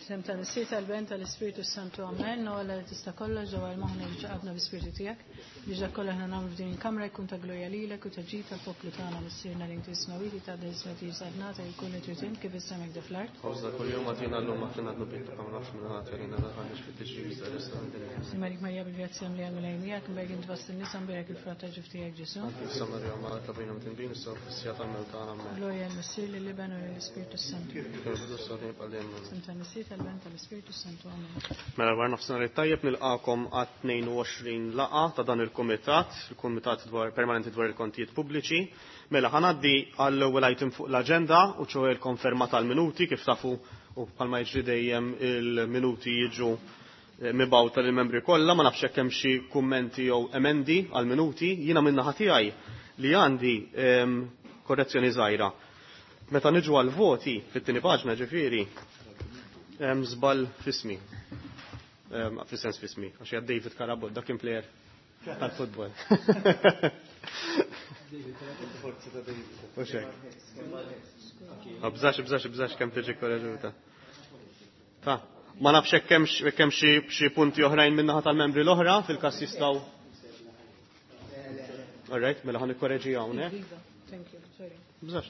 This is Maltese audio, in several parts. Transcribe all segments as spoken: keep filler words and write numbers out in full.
F'isem tal-Missier tal-Ben tal-Ispirtu Santu Amen, no Alla li tista' kollox ġewwa l-moħħna li ġaqadna bi-Spirtu tiegħek biex dak kollha aħna nagħmlu f'din il-kamra jkun ta' glorja lilek u ta' ġid tal-poplu tagħna Missierna li inti smawiti ta' ismek jiġi jkun li trid int kif is-sema hekk fl-art. Ħobżna kuljum agħtina llum aħfrilna dnubietna kama naħfru minn ħadd għalina daħalniex fit-tiġrib iżda eħlisna mid-dinja. Simarik Marija bil-grazzja mlija Mulej miegħek, imberek int fost in-nisa mberek il-frott ta' ġuf tiegħek Ġesu. Qdisa Marija Omm Alla itlob għalina midinbin issa u fis-siegħa tal-mewt tagħna. Amen. Glorja lill-Missier lill-Iben u lill-Ispirtu Santu. Kif kien fil-bidu issa u dejjem bħal dejjem. F'isem tal-Missier tal-Ben tal-Ispirtu Santu. Amen. Mela wara nofsinhar it-tajjeb nilqakom għat-tnejn u għoxrin laqgħa ta' dan il-kumitat, il-Kumitat dwar Permanenti dwar il-Kontijiet Pubbliċi. Mela ħa ngħaddi għall-ewwel item fuq l-aġenda u ċoe l-konferma tal-minuti kif tafu u bħalma jiġri dejjem il-minuti jiġu mibgħuta lill-membri kollha, ma nafx hekk hemm xi kummenti jew emendi għall-minuti. Jiena min-naħa tiegħi li għandi korrezzjoni żgħira. Meta niġu għal-voti fit-tieni paġna ġifieri hemm żball f'ismi. Fis-sens f'ismi, għax hija David Carabott, dak kien player tal-futbol. U xek. Bżax, bżax, bżax kemm tiġi korreġuta. Ta, ma nafx hekk hemm xi punti oħrajn min-naħa tal-membri l-oħra fil-każ jistgħu. All right, mela ħa nikkoreġi hawnhekk. Thank you, sorry. Bżax.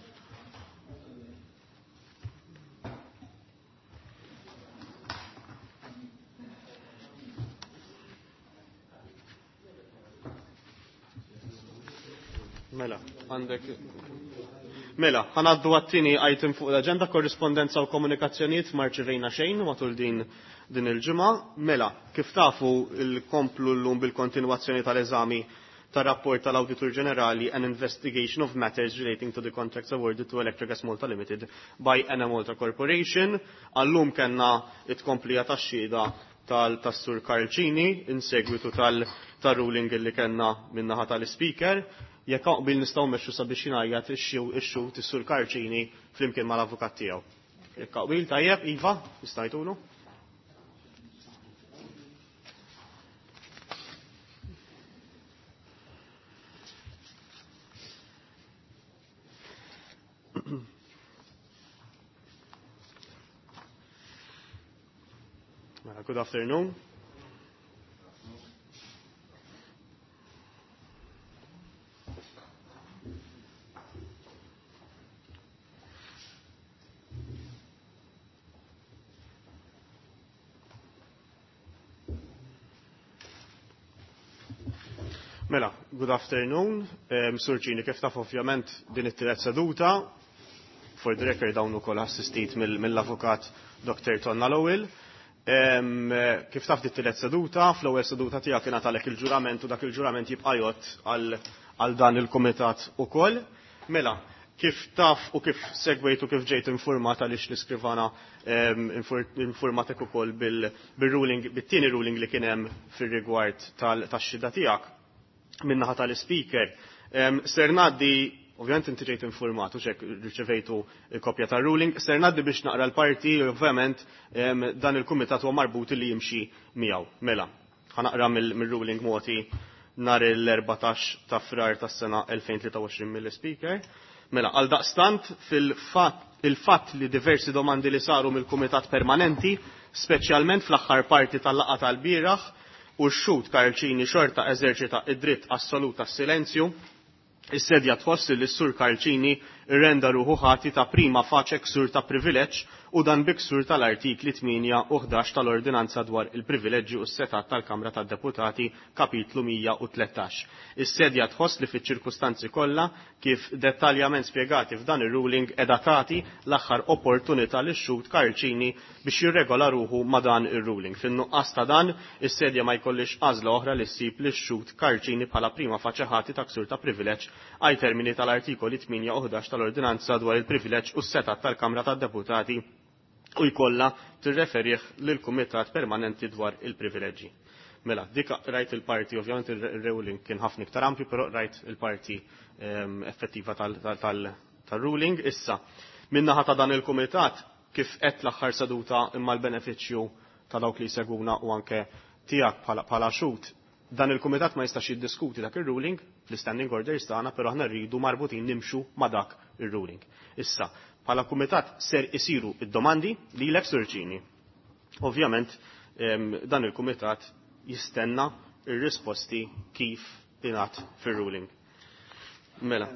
Mela, għandek. Mela, ħa ngħaddu għat-tieni item fuq l-agenda, korrispondenza u komunikazzjonijiet ma rċevejna xejn matul din din il-ġimgħa. Mela, kif tafu il-komplu llum bil-kontinwazzjoni tal-eżami tar-rapport tal-Awditur Ġenerali an investigation of matters relating to the contracts awarded to Electrogas Malta Limited by Enemalta Corporation. Għallum kellna it-komplija tax-xhieda tal-Sur Karl Cini in segwitu tal-ruling li kellna min-naħa tal-Speaker. Jekk qbil nistgħu mmexxu sabiex jingħajjat ix-xhud is-Sur Karl Cini flimkien mal-avukat tiegħu. Jekk qbil tajjeb, iva, jistajtulu. Mela, good afternoon. Mela, good afternoon. Um, Sur Cini, kif taf ovvjament din it-tielet seduta, for the record dawn ukoll assistit mill-avukat Doktor Tonna Lowell. Um, kif taf dit tielet seduta, fl-ewwel seduta tiegħek kien għatalek il-ġurament u dak il-ġurament jibqa' jgħod għal dan il-kumitat ukoll. Mela, kif taf u kif segwejt u kif ġejt informat għaliex l-iskrivana um, informatek ukoll bil-ruling, bit-tieni ruling li kien hemm fir-rigward tax-xhieda tiegħek min-naħa tal-speaker. Um, ser ngħaddi, ovvjament inti ġejt informat u xek riċevejtu kopja tar-ruling, ser ngħaddi biex naqra l-parti, ovvjament um, dan il-kumitat huwa marbut li jimxi miegħu. Mela, ħa naqra mill-ruling moti nhar l-erbatax ta' Frar tas-sena elfejn tlieta u għoxrin mill-speaker. Mela, għal daqstant fil-fatt il-fatt li diversi domandi li saru mill-kumitat permanenti, speċjalment fl-aħħar parti tal-laqgħa tal-bieraħ, u x-xhud Karl Cini xorta eżerċita id-dritt assolut tas-silenzju, is-sedja tħoss li s-sur Karl Cini renda ruħu ħati ta' prima facie ksur ta' privileġġ u dan bi ksur tal-artikli tmienja u ħdax tal-Ordinanza dwar il-privileġġi u s-setat tal-Kamra tad-Deputati kapitlu mija u tlettax. Is-sedja tħoss li fiċ-ċirkustanzi kollha kif dettaljament spjegati f'dan ir-ruling qiegħda tagħti l-aħħar opportunità lix-xhud Karl Cini biex jirregola ruħu ma' dan ir-ruling. Fin-nuqqas ta' dan, is-sedja ma jkollix għażla oħra li ssib lix-xhud Karl Cini bħala prima facie ħati ta' ksur ta' privileġġ ai termini tal-artikoli tmienja u ħdax tal-Ordinanza dwar il-privileġġ u s-setat tal-Kamra tad-Deputati u jkollha tirreferih lill-Kumitat Permanenti dwar il-privileġġi. Mela, dik rajt il-parti, ovvjament il-ruling kien ħafna iktar ampju, però rajt il-parti, ehm, effettiva tal-ruling. Issa, min-naħa ta' dan il-Kumitat, kif qed l-aħħar seduta imma l-benefiċċju ta' dawk li jsegwuna u anke tiegħek bħala, bħala xhud, dan il-Kumitat ma jistax jiddiskuti dak ir-ruling fl-standing orders tagħna, però aħna rridu marbutin nimxu ma' dak ir-ruling. Issa, bħala Kumitat ser isiru id-domandi lilek Sur Cini. Ovvjament dan il-kumitat jistenna ir-risposti kif ingħad fir-ruling. Mela.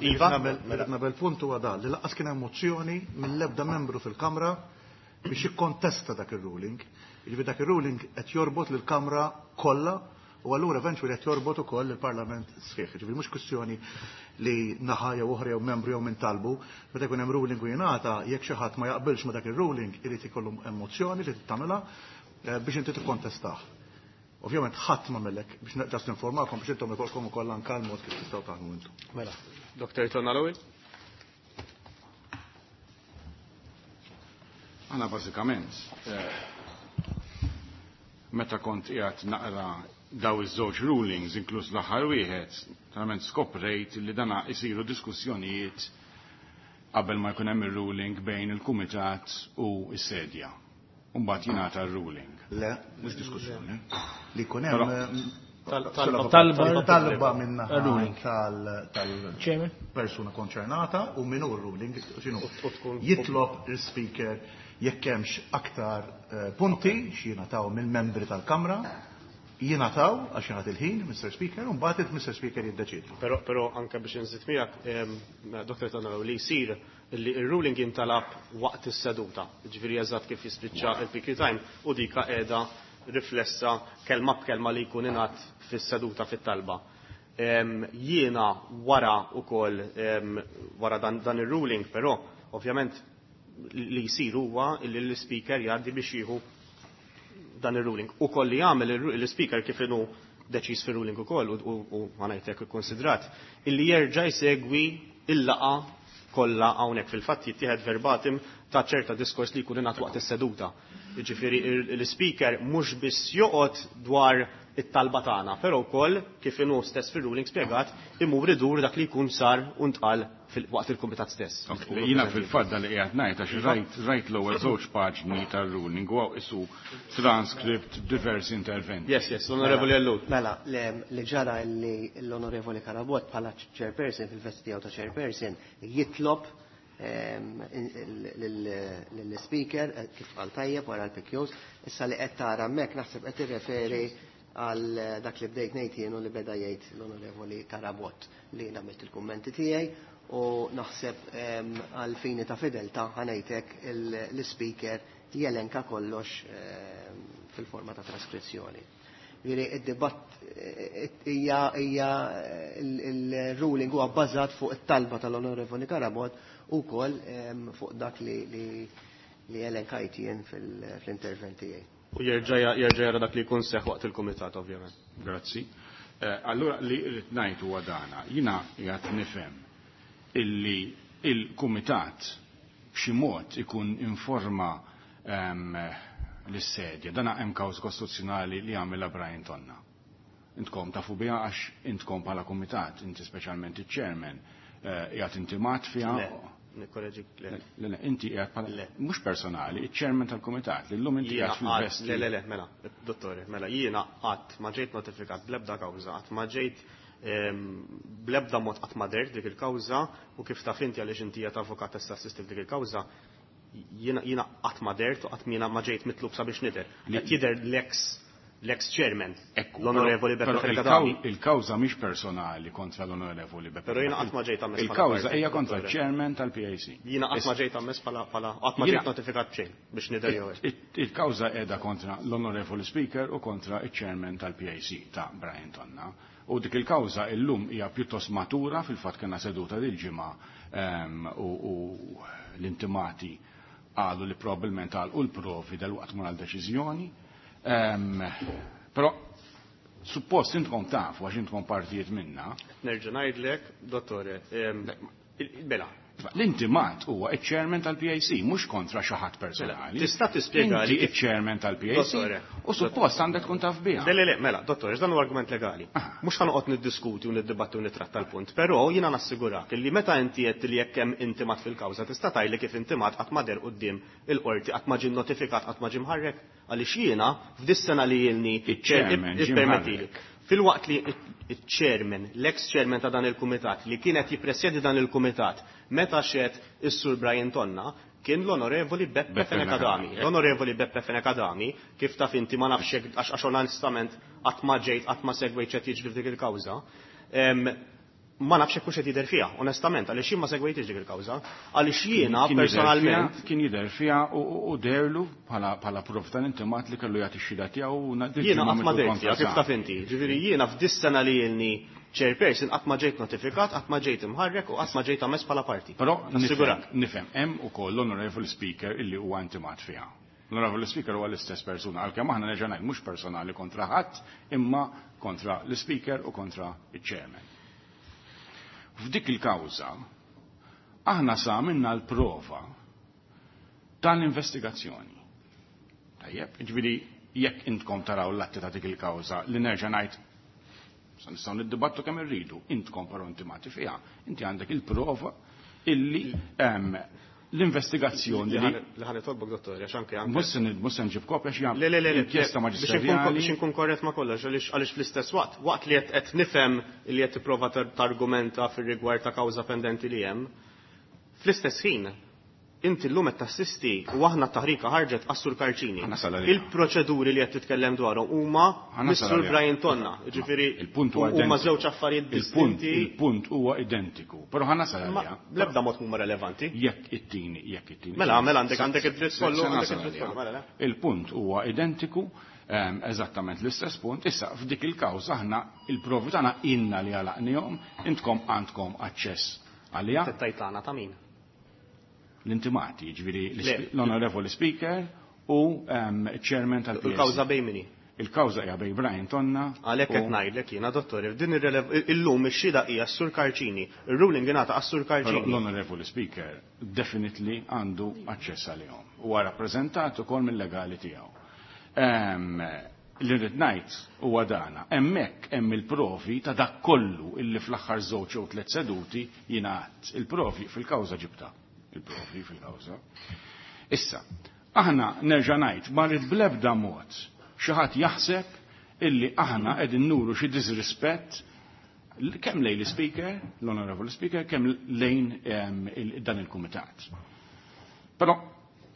Iva? Mela, nabel punt huwa dan li lanqas kien hemm mozzjoni mill-ebda membru fil-Kamra biex jikkontesta dak ir-ruling. Jiġifieri dak ir-ruling qed jorbot lill-Kamra kollha u allura eventually qed jorbot ukoll il-Parlament sħiħ. Jiġifieri mhux kwistjoni li naħa jew oħra jew membru jew min talbu, meta jkun hemm ruling u jingħata jekk xi ħadd ma jaqbilx ma dak ir-ruling irid ikollu mozzjoni li tagħmilha biex inti tikkontestah. Ovvjament ħadd ma mellek biex just informakom biex intom ikolkom ukoll anke l-mod kif tistgħu taħdmu intom. Mela, Doktor Tonna Lowell? Għana bażikament meta kont qiegħed naqra daw iż-żewġ rulings inkluż l-aħħar wieħed, verament skoprejt li dana isiru diskussjonijiet qabel ma jkun hemm ir-ruling bejn il-kumitat u s-sedja. U mbagħad jingħata r-ruling. Le, mhux diskussjoni. Li jkun hemm talba talba minna tal-persuna konċernata u min hu r-ruling x'inhu. Jitlob il-speaker jekk hemmx aktar punti x'jingħataw mill-membri tal-Kamra, jingħataw għax jingħat il-ħin, Mister Speaker, u mbagħad il-Mister Speaker jiddeċiedi. Però però anke biex inżid miegħek, Doktor Tonna, li jsir li r-ruling jintalab waqt is-seduta, jiġifieri eżatt kif jispiċċa il-P Q time u dika qiegħda riflessa kelma b'kelma li jkun ingħad fis-seduta fit-talba. Jiena wara wkoll wara dan, dan ir-ruling, però ovvjament li jsir huwa li l-speaker jgħaddi biex jieħu dan ir-ruling. Ukoll li jagħmel l-speaker kif inhu deċiż fir-ruling ukoll u ngħidlek ikkonsidrat illi jerġa' jsegwi il-laqa kollha hawnhekk fil-fatt jittieħed verbatim ta' ċerta diskors li jkun ingħad waqt is-seduta. Jiġifieri l-speaker mhux biss joqgħod dwar it-talba tagħna, però wkoll kif inhu stess fir-ruling spjegat imur idur dak li jkun sar u ntqal waqt il-kumitat stess. Jiena fil-fatt dan li qiegħed ngħid għax rajt rajt l-ewwel żewġ paġni tar-ruling u hawn isu transcript diversi interventi. Yes, yes, Onorevoli Ellul. Mela, li ġara li l-Onorevoli Carabott bħala chairperson fil-vesti tiegħu ta' chairperson jitlob lill-speaker kif qal tajjeb wara l-P Qs, issa li qed tara hemmhekk naħseb qed tirreferi għal dak li bdejt ngħid jien u li beda jgħid l-Onorevoli Carabott li jien għamilt il-kummenti tiegħi u naħseb għal fini ta' fedeltà ħanejtek l-speaker jelenka kollox fil-forma ta' traskrizzjoni. Jiġifieri id-dibatt hija hija il-ruling huwa bbażat fuq it-talba tal-Onorevoli Carabott ukoll fuq dak li li elenkajt jien fl-intervent tiegħi. U jerġa' jerġa' jara dak li jkun seħħ waqt il-kumitat ovvjament. Grazzi. Allura li rrid ngħid huwa dana, jiena qiegħed nifhem illi il-kumitat b'xi mod ikun informa l-sedja. Dana hemm kawż kostituzzjonali li għamilha Brian Tonna. Intkom tafu biha għax intkom bħala kumitat, inti speċjalment iċ-chairman, qiegħed intimat fiha. Le, nikkoreġik, le. Le, le, inti qiegħed bħala Le. mhux personali, iċ-chairman tal-kumitat, li llum inti Jiena qiegħed fil-vesti. Le, le, le, mela, dottore, mela, jiena qatt ma ġejt notifikat bl-ebda kawża, qatt ma ġejt bl-ebda mod qatt ma dert dik il-kawża u kif taf inti għaliex inti qiegħed avukat tista' assisti f'dik il-kawża, jiena, jiena qatt ma dert u qatt jiena ma ġejt mitlub sabiex nidher. Li Qed jidher l-ex, l-ex chairman, Ekku, l-Onorevoli però Beppe Fenech il-kaw- Adami. il-kawża mhix personali kontra l-Onorevoli Beppe Però jiena Fenech. qatt ma ġejt ammess bħala Il-kawża parti, hija kontra dottore. l-chairman tal-P A C. Jiena qatt ma ġejt ammess bħala, bħala, qatt ma Jiena ġejt notifikat b'xejn biex nidher jew hekk. Il-, il-kawża qiegħda kontra l-Onorevoli Speaker u kontra il-chairman tal-P A C ta' Brian Tonna. U dik il-kawża illum hija pjuttost matura, fil-fatt kellna seduta dil-ġimgħa, ehm, u, u l-intimati qalu li probabbilment għalqu l-provi dal-waqt mura l-deċiżjoni. Ehm, però suppost intkom tafu għax intkom partijiet minna. Nerġa' ngħidlek, dottore, ehm, il-, mela. L-intimat huwa iċ-chairman tal-P A C, mhux kontra xi ħadd personali. Mela, tista' tispjega Inti li kif iċ-chairman tal-P A C Dottore, u suppost għandek tkun taf biha. Le, le, le, mela, dottore, dan huwa argument legali. Ah. Mhux ħanoqgħod niddiskuti u niddibatti u nitratta l-punt, però jiena nassigurak li meta inti qed li jekk hemm intimat fil-kawża tista' tgħidli kif intimat qatt ma der quddiem il-qorti, qatt ma ġie notifikat, qatt ma ġie mħarrek, għaliex jiena f'dis-sena li ilni Iċ-chairman ġie ippermettili. mħarrek. Filwaqt li iċ-chairman, l-ex-chairman ta' dan il-kumitat, li kienet jippresjedi dan il-kumitat, meta xed is-Sur Brian Tonna, kien l-Onorevoli Beppe Fenech Adami. L-Onorevoli Beppe Fenech Adami, kif taf inti, ma nafx hekk, għax għax onestament qatt ma ġejt, qatt ma segwejt x'qed jiġri f'dik il-kawża. Ma nafx hekk hux qed jidher fiha, onestament, għaliex jien ma segwejtx dik il-kawża. Għaliex jiena personalment kien jidher fiha u deherlu bħala proof tal-intimat li kellu jagħti x-xhieda tiegħu. Jiena qatt ma dehrt fiha, kif taf inti. Ġifieri jiena f'dis-sena li ilni chairperson qatt ma ġejt notifikat, qatt ma ġejt imħarrek u qatt ma ġejt ammess bħala parti. Però nifhem, hemm ukoll l-Onorevoli Speaker illi huwa intimat fiha. L-Onorevoli Speaker huwa l-istess persuna, għalkemm aħna nerġa' ngħid mhux personali kontra ħadd, imma kontra l-Speaker u kontra iċ-Chairman. F'dik il-kawża aħna sa minna l-prova tal-investigazzjoni. Tajjeb, ġifieri jekk intkom taraw l-atti ta' dik il-kawża li nerġa' ngħid sa nistgħu niddibattu kemm irridu, intkom però intimati fiha, inti għandek il-prova illi l-investigazzjoni li ħa nitolbok, dottor, għax anke anke. Mhux se nġib kopja xi Le, le, le, inkjesta maġisterjali. Biex inkun korrett ma' kollox, għaliex fl-istess waqt, waqt li qed nifhem li qed tipprova targumenta fir-rigward ta' kawża pendenti li hemm, fl-istess ħin inti llum qed tassisti u aħna t-taħrika ħarġet għas-Sur Karċini. Il-proċeduri li qed titkellem dwarhom huma mis-Sur Brian Tonna. Ġifieri huma żewġ affarijiet distinti. Il-punt huwa identiku, però ħa nasal għaliha. Bl-ebda mod huma relevanti. Jekk it-tieni, jekk it-tieni. Mela, mela għandek għandek id-dritt kollu, għandek id-dritt kollu, mela. Il-punt huwa identiku, eżattament l-istess punt. Issa f'dik il-kawża aħna il-provi tagħna inna li għalaqnihom, intkom għandkom aċċess għaliha. Tittajtana ta' min? L-intimati, ġifieri l-Onorevoli Speaker u chairman tal-P S. Il-kawża bejn min? Il-kawża hija bejn Brian Tonna. Għalhekk qed ngħidlek jiena, dottor, din illum ix-xhieda hija s-Sur Karċini. Ir-ruling ingħata għas-Sur Karċini. L-Onorevoli Speaker definitely għandu aċċess għalihom. Huwa rappreżentat ukoll mill-legali tiegħu. Li rrid ngħid huwa dana, hemmhekk hemm il-provi ta' dak kollu illi fl-aħħar żewġ jew tliet seduti jingħad. Il-provi fil-kawża ġibta. Il-provi fil-kawża. Issa, aħna nerġa' ngħid ma rrid bl-ebda mod xi ħadd jaħseb illi aħna qegħdin nuru xi disrispett kemm lejn l-Speaker, l-Honorable Speaker, kemm lejn dan il-Kumitat. Però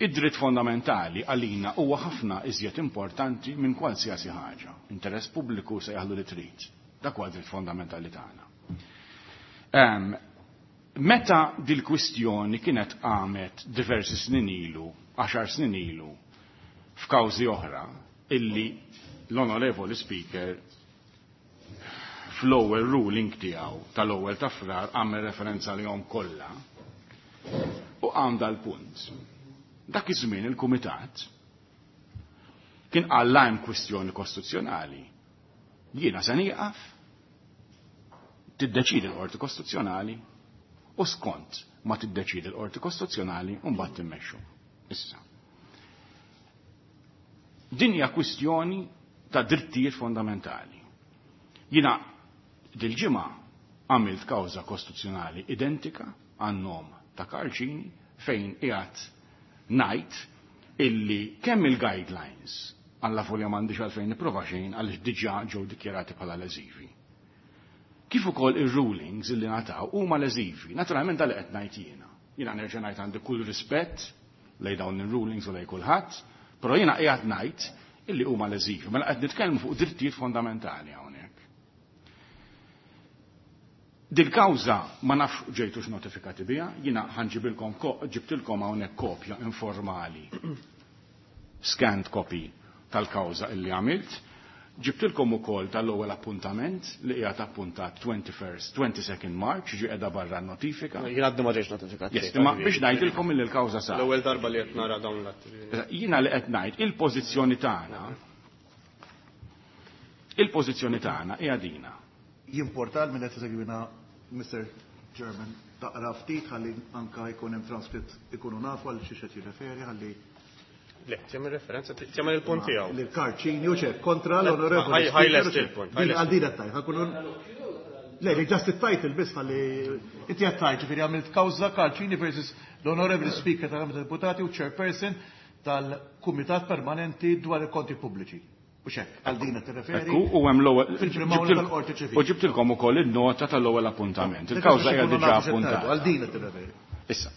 id-dritt fondamentali għalina huwa ħafna iżjed importanti minn kwalsiasi ħaġa. Interess pubbliku se jaħlu li trid. Dak huwa dritt fondamentali tagħna. Meta dil-kwistjoni kienet qamet diversi snin ilu, għaxar snin ilu, f'kawżi oħra, illi l-Onorevoli Speaker fl-ewwel ruling tiegħu tal-ewwel ta' Frar għamel referenza lihom kollha u qam dal-punt. Dak iż-żmien il-Kumitat kien qal hemm kwistjoni kostituzzjonali. Jiena se nieqaf, tiddeċidi l-Qorti Kostituzzjonali u skont ma tiddeċidi l-Qorti Kostituzzjonali u mbagħad timmexxu. Issa. Din hija kwistjoni ta' drittijiet fondamentali. Jiena dil-ġimgħa għamilt kawża kostituzzjonali identika għan-nom ta' Karċini fejn qiegħed ngħid illi kemm il-guidelines għalla folja m'għandix għalfejn nipprova xejn għaliex diġà ġew dikjarati bħala leżivi. Kif ukoll ir-rulings illi ngħataw huma leżivi. Naturalment dal qed ngħid jiena. Jiena nerġa' ngħid għandi kull rispett lejn dawn ir-rulings u lejn kulħadd, però jiena qiegħed ngħid illi huma leżivi. Mela qed nitkellmu fuq drittijiet fondamentali hawnhekk. Dil-kawża ma nafx ġejtux notifikati biha, jiena ħanġibilkom ġibtilkom hawnhekk kopja informali, scanned copy tal-kawża illi għamilt. Ġibtilkom ukoll tal-ewwel appuntament li qiegħed appuntat twenty-first, twenty-second March, ġi qiegħda barra notifika. Jien għadni ma ġejtx notifikat. Yes, imma biex ngħidilkom illi l-kawża sar. L-ewwel darba li qed nara dawn l-atti. Jiena li qed ngħid il-pożizzjoni tagħna, il-pożizzjoni tagħna hija dina. Jimportal minn qed isegwina Mister Chairman taqra ftit ħalli anka jkun hemm transkritt ikunu nafu għal xi qed jirreferi ħalli Le, tjemmen referenza, tjemmen il-punt tiegħu. L-Karċini u ċek, kontra l-onorevoli. Ħaj lest il-punt. Għal din qed tgħid, ħakunu Le, li just it-title biss ħalli inti qed tgħid, ġifieri għamilt kawża Karċini versus l-onorevoli Speaker tal-Kamra tad-Deputati u Chairperson tal-Kumitat Permanenti dwar il-Konti Pubbliċi. U xek, għal din qed tirreferi. Ekku, u hemm l-ewwel fil-primawla tal-Qorti Ċivili. U ġibtilkom ukoll in-nota tal-ewwel appuntament. Il-kawża hija diġà appuntata. Għal din qed tirreferi. Issa.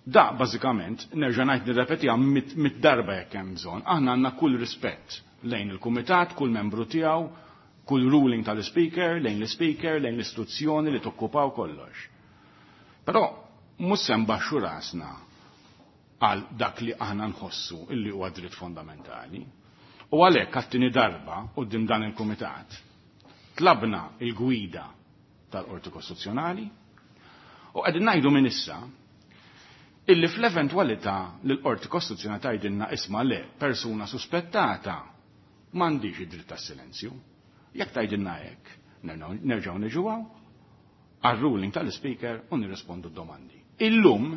Da bażikament nerġa' ngħid nirrepetiha mit darba jekk hemm bżonn. Aħna għandna kull rispett lejn il-kumitat, kull membru tiegħu, kull ruling tal-speaker, lejn l-speaker, lejn l-istituzzjoni li tokkupaw kollox. Però mhux se nbaxxu rasna għal dak li aħna nħossu illi huwa dritt fondamentali. U għalhekk għat-tieni darba quddiem dan il-kumitat tlabna il-gwida tal-Qorti Kostituzzjonali u qegħdin ngħidu minn issa illi fl-eventwalità li l-Qorti Kostituzzjonali tgħidilna isma' le persuna suspettata m'għandix id-dritt tas-silenzju. Jekk tgħidilna hekk, nerġgħu niġu għal-ruling tal-speaker u nirrispondu d-domandi. Illum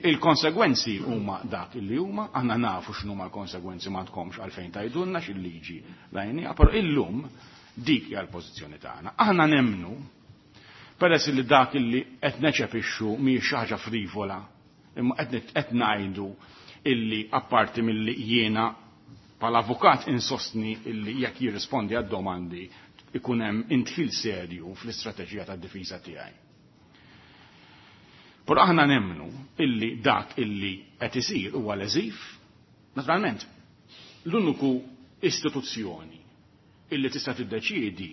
il-konsegwenzi huma dak illi huma, aħna nafu x'inhuma l-konsegwenzi, ma tkomx għalfejn tgħidulna x'il-liġi lajnija, però illum dik hija l-pożizzjoni tagħna. Aħna nemnu peress li dak illi qed neċepixxu mhijiex xi ħaġa frivola, imma qed ngħidu illi apparti milli jiena bħala avukat insostni illi jekk jirrispondi għad-domandi ikun hemm intħil serju fl-istrateġija tad-difiża tiegħi. Però aħna nemmnu illi dak illi qed isir huwa leżiv. Naturalment, l-uniku istituzzjoni illi tista' tiddeċiedi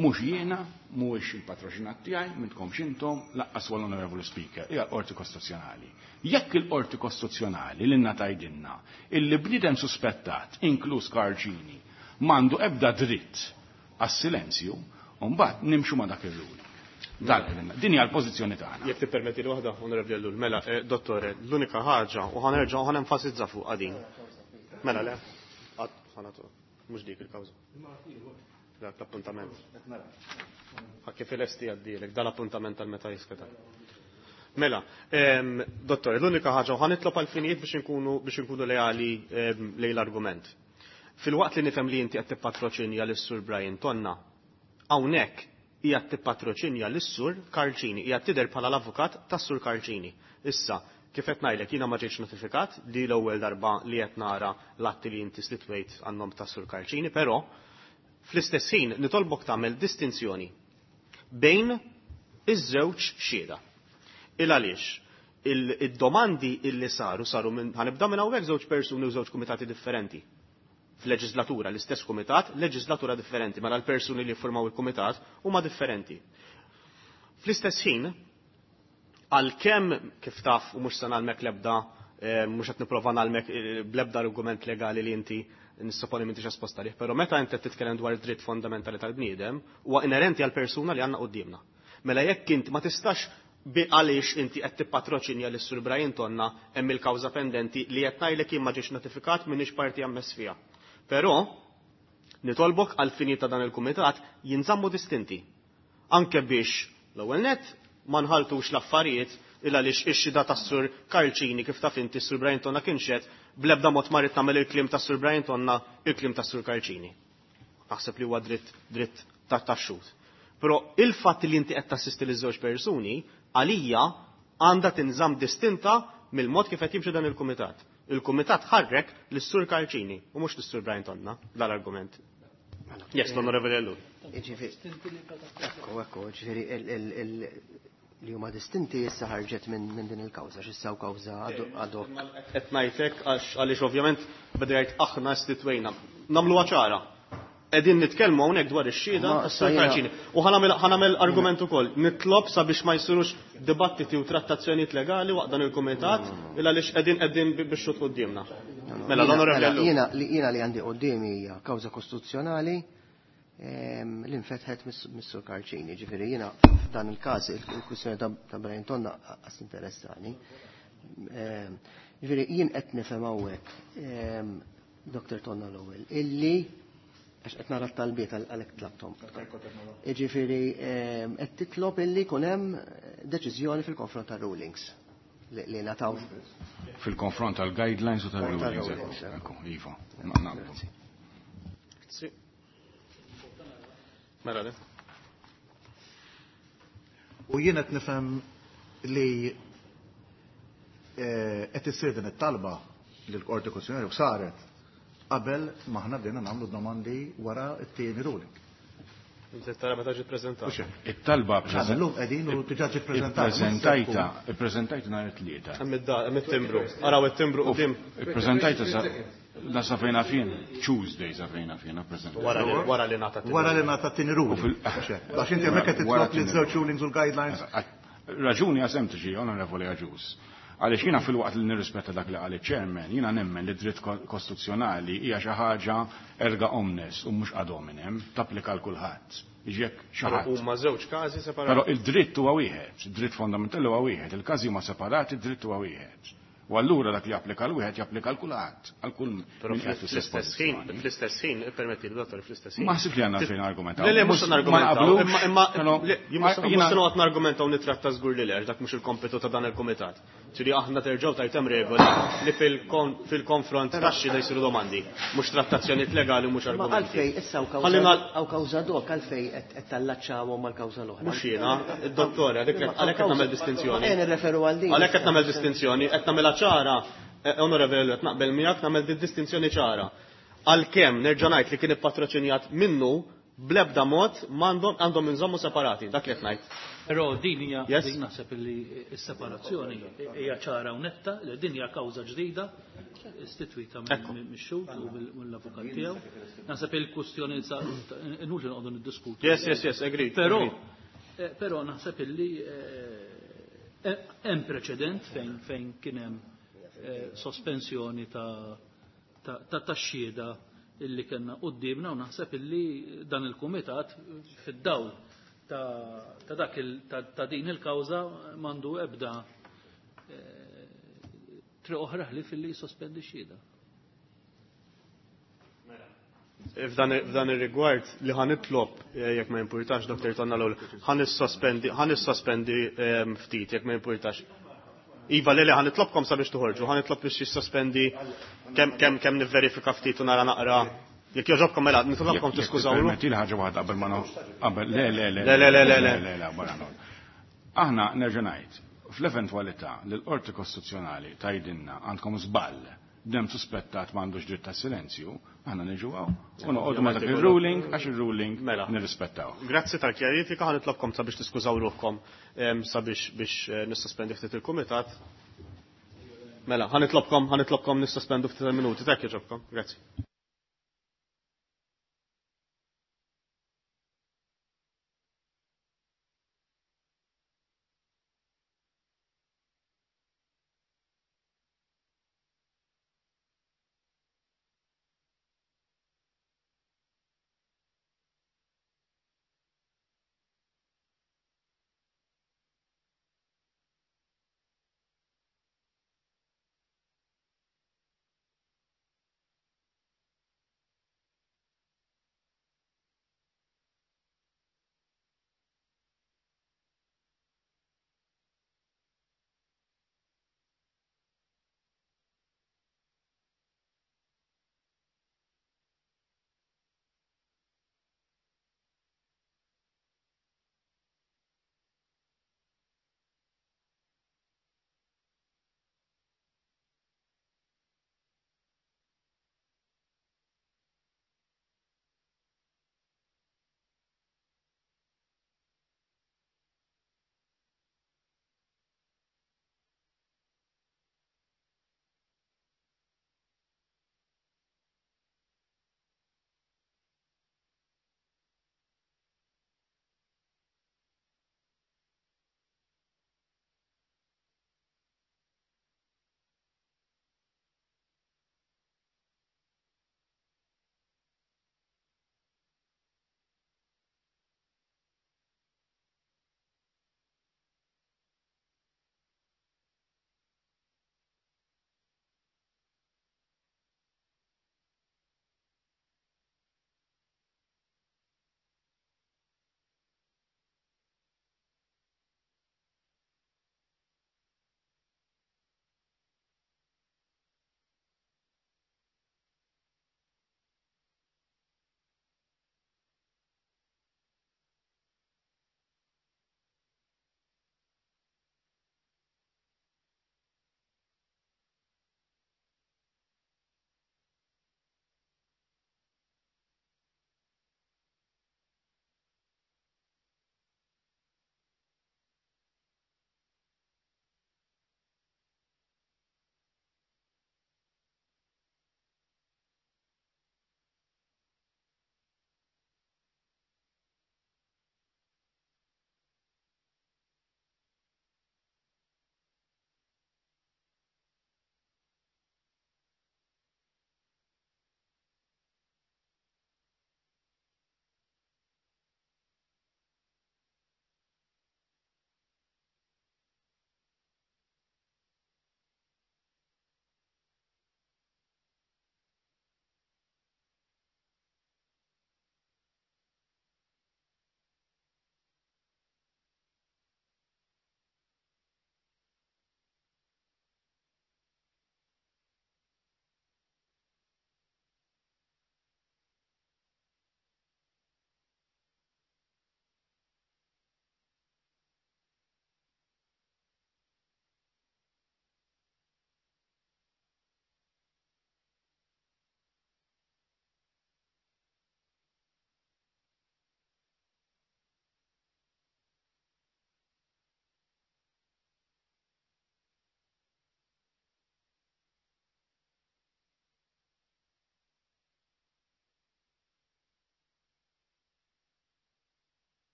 mhux jiena, mhuwiex il-patroċinat tiegħi, m'intkomx intom, lanqas huwa l-Onorevoli Speaker, hija l-Qorti Kostituzzjonali. Jekk il-Qorti Kostituzzjonali lilna tgħidilna illi bniedem suspettat, inkluż Karl Cini, m'għandu ebda dritt għas-silenzju, u mbagħad nimxu ma' dak ir-ruling. Dal din hija l-pożizzjoni tagħna. Jekk tippermetti li waħda, Onorevoli Ellul, mela, eh, dottore, l-unika ħaġa, u ħa nerġa' u ħa nenfasizza fuq din. Mela le, għad ħanatu, mhux dik il-kawża. Dak l-appuntament. Ħa kif il-esti għaddilek, dal-appuntament tal-meta jiskeda. Mela, em, dottore, l-unika ħaġa, u ħa nitlob għal-finijiet biex nkunu biex nkunu leali em, lejn l-argument. Filwaqt li nifhem li inti qed tippatroċinja lis-Sur Brian Tonna, hawnhekk hija tippatroċinja lis-Sur Karl Cini, hija tidher bħala l-avukat tas-Sur Karl Cini. Issa, kif qed ngħidlek, jiena ma ġejtx notifikat li l-ewwel darba li qed nara l-atti li inti stitwejt għan-nom tas-Sur Karl Cini, però fl-istess ħin nitolbok tagħmel distinzjoni bejn iż-żewġ xhieda. Il għaliex il-domandi illi saru saru minn ħa nibda minn hawnhekk żewġ persuni u żewġ kumitati differenti. F'leġislatura, l-istess kumitat, leġislatura differenti, mela l-persuni li formaw il-kumitat huma differenti. Fl-istess ħin, għalkemm kif taf u mhux se nagħlmek l-ebda, eh, mhux qed nipprova nagħlmek eh, bl-ebda argument legali li inti nissoponi m'intix esposta lih, però meta inti titkellem dwar id-dritt fondamentali tal-bniedem, huwa inerenti għal persuna li għandna quddiemna. Mela jekk int ma tistax bi għaliex inti qed tippatroċinja lis Sur Brian Tonna hemm il-kawża pendenti li qed ngħidlek jien ma ġiex notifikat m'iniex parti ammess fiha. Però nitolbok għal fini ta' dan il-kumitat jinżammu distinti. Anke biex l-ewwel net ma nħaltux l-affarijiet illa għaliex ix-xhieda tas-Sur Karl Cini, kif taf inti, s-Sur Brian Tonna kien xehed, bl-ebda mod ma rrid nagħmel il-kliem tas-Sur Brian Tonna il-kliem tas-Sur Karl Cini. Naħseb li huwa dritt dritt ta' tax-xhud. Però il-fatt li inti qed tassisti liż żewġ persuni għalija għandha tinżamm distinta mill-mod kif qed jimxi dan il-kumitat. Il-kumitat ħarrek lis-Sur Karl Cini u mhux lis-Sur Brian Tonna dal-argument. Yes, l-Onorevoli Ellul. Ġifieri, ekku, ekku, ġifieri, li huma distinti issa ħarġet minn min din il-kawża, x'issa kawża ad hoc. Qed ngħidlek għax għaliex ovvjament beda jgħid aħna istitwejna. Nagħmluha ċara. Qegħdin nitkellmu hawnhekk dwar ix-xhieda Ma, tas-Sur issa jiena- Karl Cini. U ħa nagħmel ħa nagħmel argument ukoll. Nitlob sabiex ma jsirux dibattiti u trattazzjonijiet legali waqt dan il-kumitat illa għaliex qegħdin qegħdin biex xut quddiemna. Mela l-Onorevoli Mela, Ellul. Jiena li jiena li għandi quddiemi hija kawża kostituzzjonali ehm, li nfetħet mis-Sur Karl Cini. Ġifieri jiena f'dan il-każ il-kwistjoni ta' ta' Brian Tonna qas interessani. Ehm, Ġifieri jien qed nifhem hawnhekk ehm, Doktor Tonna l-ewwel illi għax qed nara t-talbiet għalhekk tlabthom. Ġifieri ehm, qed titlob illi jkun hemm deċiżjoni fil-konfront tar-rulings li li ngħataw Fil-konfront tal-guidelines u tal-rulings. Tal-rulings. Ekku, iva, naqblu. Sì. Mela le. U jien qed nifhem li eh, qed issir din it-talba lill Qorti Kostituzzjonali u saret qabel maħna bdejna nagħmlu domandi wara t-tieni ruling. Inti tara meta ġiet preżentata. It-talba Illum qegħdin u diġà ġiet preżentata. Ippreżentajta, ippreżentajta nhar it-tlieta. Hemm it-timbru. Araw it-timbru quddiem. Ippreżentajta sa la sa fejna fien, Tuesday sa fejna fien, ippreżentajta. Wara li ngħata Wara li ngħata t-tieni ruling. Għax inti hemmhekk qed titlob li żewġ rulings u l-guidelines. Raġuni hija sempliċi, Onorevoli Agius. Għaliex jiena fil-waqt li nirrispetta dak li qal iċ-chairman, jiena nemmen li dritt kostituzzjonali hija xi ħaġa erga omnes u mhux ad hominem, tapplika l kulħadd. Jiġi xi ħadd. Huma żewġ każi separati. Però il-dritt huwa wieħed, id-dritt fondamentali huwa wieħed, il-każi huma separati, id-dritt huwa wieħed. U allura dak li japplika l wieħed japplika l kulħadd, għal kull Però fl-istess ħin, fl-istess ħin, ippermetti li dottor fl-istess ħin. Ma ħsib li għandna fejn argumentaw. Le, le, mhux nargumentaw, imma imma mhux se noqgħod nargumentaw nitratta żgur li le, dak mhux il-kompitu ta' dan il-kumitat. Ġifieri aħna terġgħu tajt hemm regoli li fil-konfront tax-xhieda jsiru domandi, mhux trattazzjonijiet legali u mhux argumenti. Ma għalfej issa hawn kawża dok għalfej qed tallaċċawhom mal-kawża l-oħra. Mhux jiena, id-dottor, għalhekk qed nagħmel distinzjoni. Ejja nirreferu għal din. Għalhekk qed nagħmel distinzjoni, qed nagħmilha ċara, onorevoli, qed naqbel miegħek nagħmel din distinzjoni ċara. Għalkemm nerġa' ngħid li kien ippatroċinjat minnu bl-ebda mod m'għandhom għandhom inżommu separati, dak li qed ngħid. Però din hija din naħseb li s-separazzjoni hija ċara u netta, li din hija kawża ġdida istitwita mix-xhud u mill-avukat tiegħu. Naħseb il-kwestjoni inutli noqogħdu niddiskutu. Yes, yes, yes, agree. Però però naħseb illi hemm preċedent fejn fejn kien hemm sospensjoni ta' ta' tax-xhieda illi kellna quddiemna u naħseb illi dan il-kumitat fid-dawl ta' dak ta' din il-kawża m'għandu ebda triq oħra ħlief illi jissospendi x-xhieda. F'dan ir-rigward li ħa nitlob jekk ma jimpurtax Dottor Tonna l-ewwel, ħa nissospendi ħa nissospendi ftit jekk ma jimpurtax. Iva, le, le, ħa nitlobkom sabiex toħorġu, ħa nitlob biex jissospendi kemm kemm kemm nivverifika ftit u nara naqra. Jekk jogħġobkom mela, nitlobkom tiskużaw. Permetti li ħaġa waħda qabel ma qabel le le le le le le le le le barra Aħna nerġa' ngħid, fl-eventwalità li l-Qorti Kostituzzjonali tgħidilna għandkom żball, dem suspettat m'għandux dritt ta' silenzju, aħna niġu hawn u noqogħdu ma' dak ir-ruling għax ir-ruling nirrispettaw. Grazzi tal-kjarifika, ħa nitlobkom sabiex tiskużaw ruħkom sabiex biex nissospendi ftit il-kumitat. Mela, ħa nitlobkom, ħa nitlobkom nissospendu ftit minuti, tek jogħġobkom. Grazzi.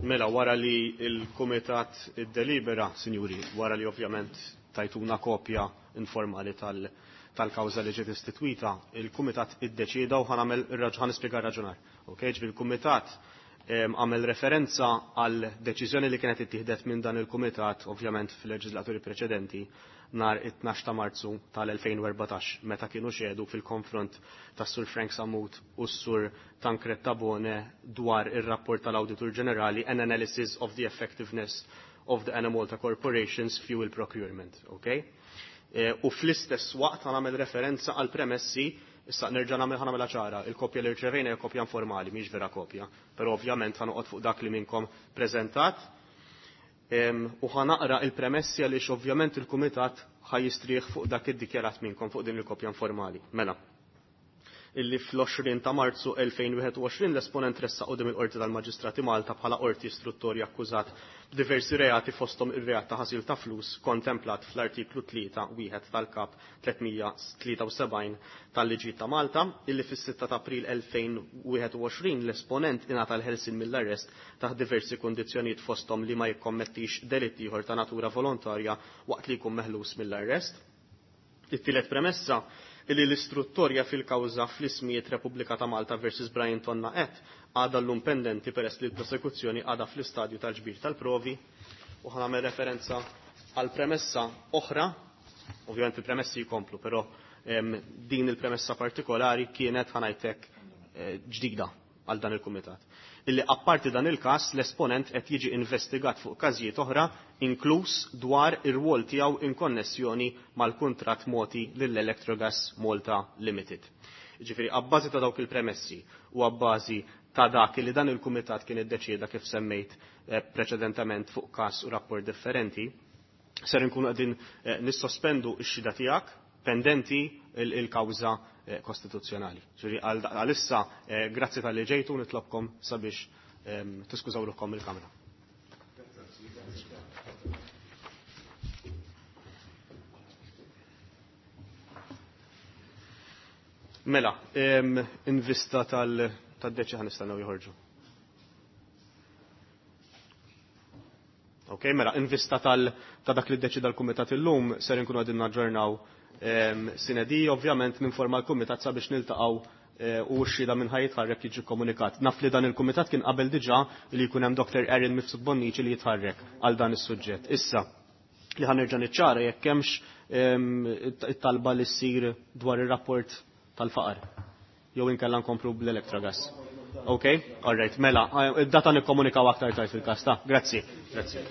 Mela, wara li il-Kumitat iddelibera, sinjuri, wara li ovvjament tajtuna kopja informali tal- tal-kawża li ġiet istitwita, il-Kumitat iddeċida u ħa nagħmel ħa nispjega raġunar. Ok, ġifieri il-Kumitat għamel referenza għal deċiżjoni li kienet ittieħdet minn dan il-Kumitat, ovvjament fil-leġislaturi preċedenti, nhar it-tnax ta' Marzu tal-elfejn u erbatax, meta kienu xedu fil-konfront tas Sur Frank Sammut u s-Sur Tancred Tabone dwar ir-rapport tal-Awditur Ġenerali an Analysis of the Effectiveness of the Enemalta Corporation's Fuel Procurement. Okay? E, u fl-istess waqt għamel referenza għal premessi, issa nerġa' nagħmel ħa nagħmilha ċara, il-kopja li rċevejna hija kopja informali, mhix vera kopja, però ovvjament ħa noqgħod fuq dak li minnkom preżentat. U ħa naqra il-premessi għaliex ovvjament il-Kumitat ħa jistrieħ fuq dak iddikjarat minnkom fuq din il-kopja informali. Mela, illi fl-għoxrin ta' Marzu elfejn wieħed u għoxrin l-esponent ressaq quddiem il-Qorti tal-Maġistrati Malta bħala qorti istruttorja akkużat b'diversi reati fosthom ir-reat ta' ħasil ta' flus kontemplat fl-artiklu tlieta wieħed tal-Kap tlietmija tlieta u sebgħin tal-Liġi ta' Malta, illi fis-sitta ta' April elfejn wieħed u għoxrin l-esponent ingħata l-ħelsien mill-arrest taħt diversi kundizzjonijiet fosthom li ma jikkommettix delitt ieħor ta' natura volontarja waqt li jkun meħlus mill-arrest. It-tielet premessa illi l-istruttorja fil-kawża fl-ismijiet Repubblika ta' Malta versus Brian Tonna et għadha llum pendenti peress li l-prosekuzzjoni għadha fl-istadju tal-ġbir tal-provi, u ħa nagħmel referenza għal premessa oħra, ovvjament il-premessi jkomplu, però, em, din il-premessa partikolari kienet ħanajtek, eh, ġdida għal dan il-kumitat. Illi apparti dan il-każ l-esponent qed jiġi investigat fuq każijiet oħra, inkluż dwar ir-rwol tiegħu in konnessjoni mal-kuntratt moti lill-Electrogas Malta Limited. Ġifieri abbażi ta' dawk il-premessi u abbażi ta' dak li dan il-kumitat kien iddeċieda kif semmejt, eh, preċedentement fuq każ u rapport differenti, ser inkunu qegħdin, eh, nissospendu x-xhieda tiegħek pendenti il-kawża, eh, kostituzzjonali. Ġifieri għal-, għalissa, eh, grazzi tal-li ġejtu, nitlobkom sabiex, ehm, tiskużaw ruħkom il-kamra. Mela, ehm, in vista tal-, tad-deċi ħa nistennew joħorġu. Ok, mela, in vista tal-, ta' dak li ddeċida l-Kumitat illum, ser inkunu qegħdin naġġornaw, ehm, sinedi, ovvjament ninforma l-Kumitat sabiex niltaqgħu, eh, u x-xhieda minn ħaj jitħarrek jiġi komunikat. Naf li dan il-Kumitat kien qabel diġà li jkun hemm Doktor Erin Mifsud Bonnici li jitħarrek għal dan is-suġġett. Issa, li ħanerġa' niċċara jekk hemmx, ehm, it-talba li ssir dwar ir-rapport tal-faqar. Jew inkella nkomplu bl-Electrogas. Ok? All right, mela, id-data nikkomunikaw aktar tard fil-każ ta'. Grazzi. Grazzi.